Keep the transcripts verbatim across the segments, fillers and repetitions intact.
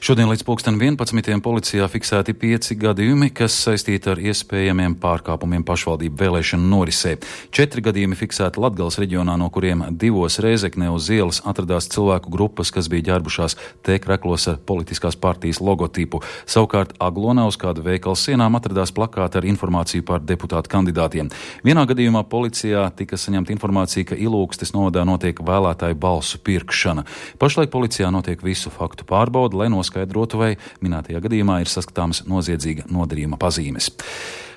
Šodien līdz pulksten vienpadsmitiem policijā fiksēti pieci gadījumi, kas saistīti ar iespējamiem pārkāpumiem pašvaldību vēlēšanu norisē. Četri gadījumi fiksēti Latgales reģionā, no kuriem divos Rēzeknē uz ielas atradās cilvēku grupas, kas bija ģērbušās T-kreklos ar politiskās partijas logotipu. Savukārt Aglonā uz kādu veikalu sienām atradās plakāti ar informāciju par deputātu kandidātiem. Vienā gadījumā policijā tika saņemta informācija, ka Ilūgstes novadā notiek vēlētāju balsu pirkšana. Pašlaik policijā notiek visu faktu pārbaude, lai noskaidrotu, vai minētajā gadījumā ir saskatāmas noziedzīga nodarījuma pazīmes.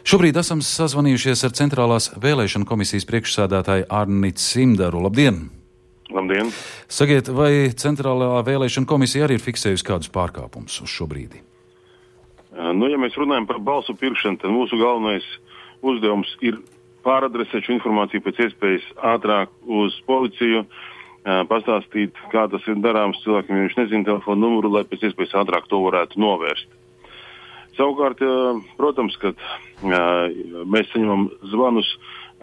Šobrīd esam sazvanījušies ar Centrālās vēlēšana komisijas priekšsēdētāju Arni Cimdaru. Labdien! Labdien! Sakiet, vai Centrālā vēlēšana komisija arī ir fiksējusi kādus pārkāpumus uz šo brīdi? Nu, ja mēs runājam par balsu pirkšanu, tad mūsu galvenais uzdevums ir pāradresēt šo informāciju pēc iespējas ātrāk uz policiju, pastāstīt, kā tas ir darāms cilvēkiem, ja viņš nezina telefonu numuru, lai pēc iespējas ātrāk to varētu novērst. Savukārt, protams, kad mēs saņemam zvanus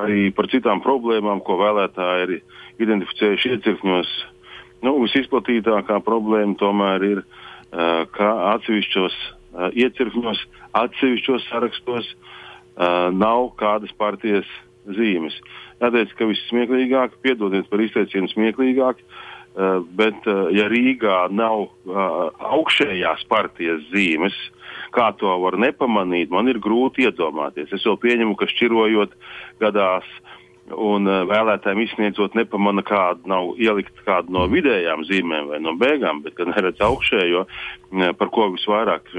arī par citām problēmām, ko vēlētāji ir identificējuši iecirkņos. Nu, visizplatītākā problēma tomēr ir, ka atsevišķos iecirkņos, atsevišķos sarakstos nav kādas partijas zīmes. Jāteic, ka viss smieklīgāk, piedodiet par izteicienu smieklīgāk, bet ja Rīgā nav augšējās partijas zīmes, kā to var nepamanīt, man ir grūti iedomāties. Es vēl pieņemu, ka šķirojot gadās un vēlētājiem izsniedzot nepamana kādu, nav ielikt kādu no vidējām zīmēm vai no beigām, bet kad neredz augšējo, par ko visvairāk,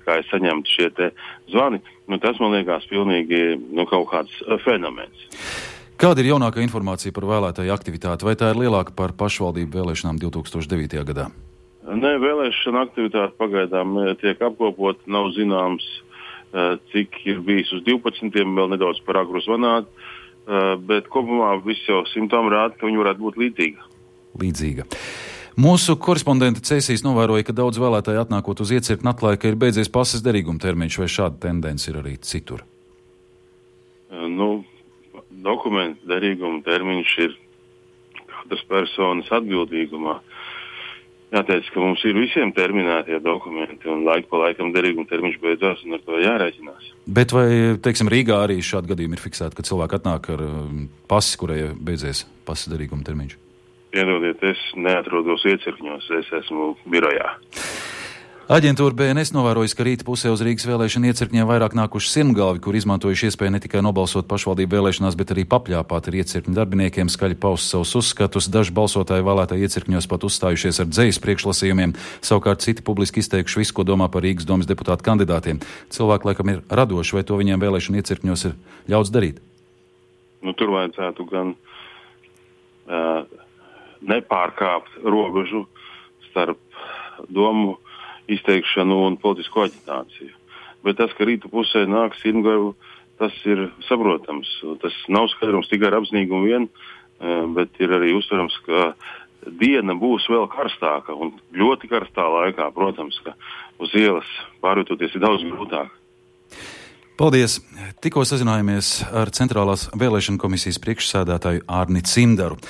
kā es saņemtu šie te zvani, nu tas man liekas pilnīgi nu, kaut kāds fenomens. Kāda ir jaunākā informācija par vēlētāju aktivitāti? Vai tā ir lielāka par pašvaldību vēlēšanām divi tūkstoši devītajā gadā? Nē, vēlēšana aktivitāte pagaidām tiek apkopot, nav zināms, cik ir bijis uz divpadsmitiem, vēl nedaudz par agru zvanāt. Bet kopumā viss jau simptomi rāda, ka viņi varētu būt līdzīga. Līdzīga. Mūsu korespondente Cēsīs novēroja, ka daudz vēlētāji atnākot uz iecirkni atklāja, ka ir beidzies pases derīguma termiņš, vai šāda tendence ir arī citur? Nu, dokumentu derīguma termiņš ir katras personas atbildīgumā. Jāteic, ka mums ir visiem terminētie dokumenti un laiku pa laikam derīguma termiņš beidzās un ar to jārēķinās. Bet vai, teiksim, Rīgā arī šādi gadījumi ir fiksēti, kad cilvēki atnāk ar pasi, kurai beidzies pases derīguma termiņš? Piedodiet, es neatrodos iecirkņos, es esmu birojā. Aģentūra B N S novērojas, ka rīta pusē uz Rīgas vēlēšana iecirkņiem vairāk nākuši sirmgalvi, kur izmantojuši iespēju ne tikai nobalsot pašvaldību vēlēšanās, bet arī papļāpāt ar iecirkņu darbiniekiem, skaļi paust savus uzskatus. Daži balsotāji vēlētāji iecirkņos pat uzstājušies ar dzejas priekšlasījumiem, savukārt citi publiski izteikuši visu, ko domā par Rīgas domas deputātu kandidātiem. Cilvēki laikam ir radoši, vai to viņiem vēlēšana iecirkņos ir ļauts darīt? Nu, tur vajadzētu gan uh, nepārkāpt robežu starp domu izteikšanu un politisko aģitāciju. Bet tas, ka rītu pusē nāk sirmgalvu, tas ir saprotams. Tas nav skaidrums tikai ar apzinīgumu vien, bet ir arī uztverams, ka diena būs vēl karstāka un ļoti karstā laikā, protams, ka uz ielas pārvietoties ir daudz grūtāk. Paldies! Tikko sazinājāmies ar Centrālās vēlēšana komisijas priekšsēdētāju Arni Cimdaru.